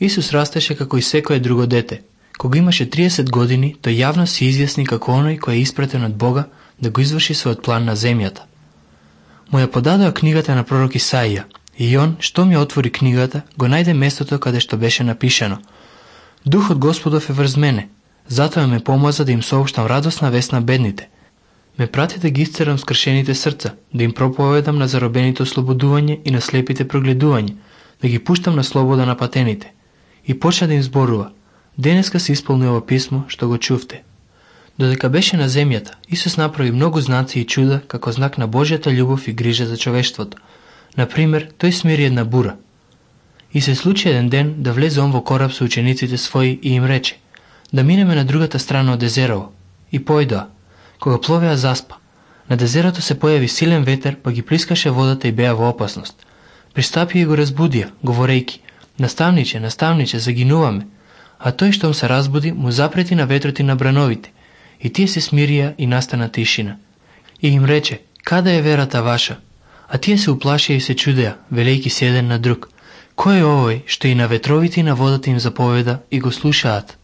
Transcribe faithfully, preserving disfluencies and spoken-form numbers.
Исус растеше како и секое друго дете. Кога имаше триесет години, тој јавно се изјасни како оној кој е испратен од Бога да го изврши својот план на земјата. Му ја подадоа книгата на пророк Исаија, и он, што ми отвори книгата, го најде местото каде што беше напишано: Духот Господов е врз мене, затоа ме помаза да им соопштам радосна вест на бедните. Ме прати да ги исцерам скршените срца, да им проповедам на заробените ослободување и на слепите прогледување, да ги пуштам на слобода на патените. И почна да им зборува: денеска се исполни ова писмо што го чувте. Додека беше на земјата, Исус направи многу знаци и чуда како знак на Божјата љубов и грижа за човештвото. Например, тој смири една бура. И се случи еден ден да влезе он во кораб со учениците своји и им рече: да минеме на другата страна од езерово. И појдоа. Кога пловеа заспа. На дезерото се појави силен ветер, па ги плискаше водата и беа во опасност. Пристапија и го разбудија, говорејки: наставниче, наставниче, загинуваме. А тој штом се разбуди, му запрети на ветрот и на брановите. И тие се смирија и настана тишина. И им рече: каде е верата ваша? А тие се уплашија и се чудеа, велејки се еден на друг: кој е овој што и на ветровите и на водата им заповеда и го слушаат?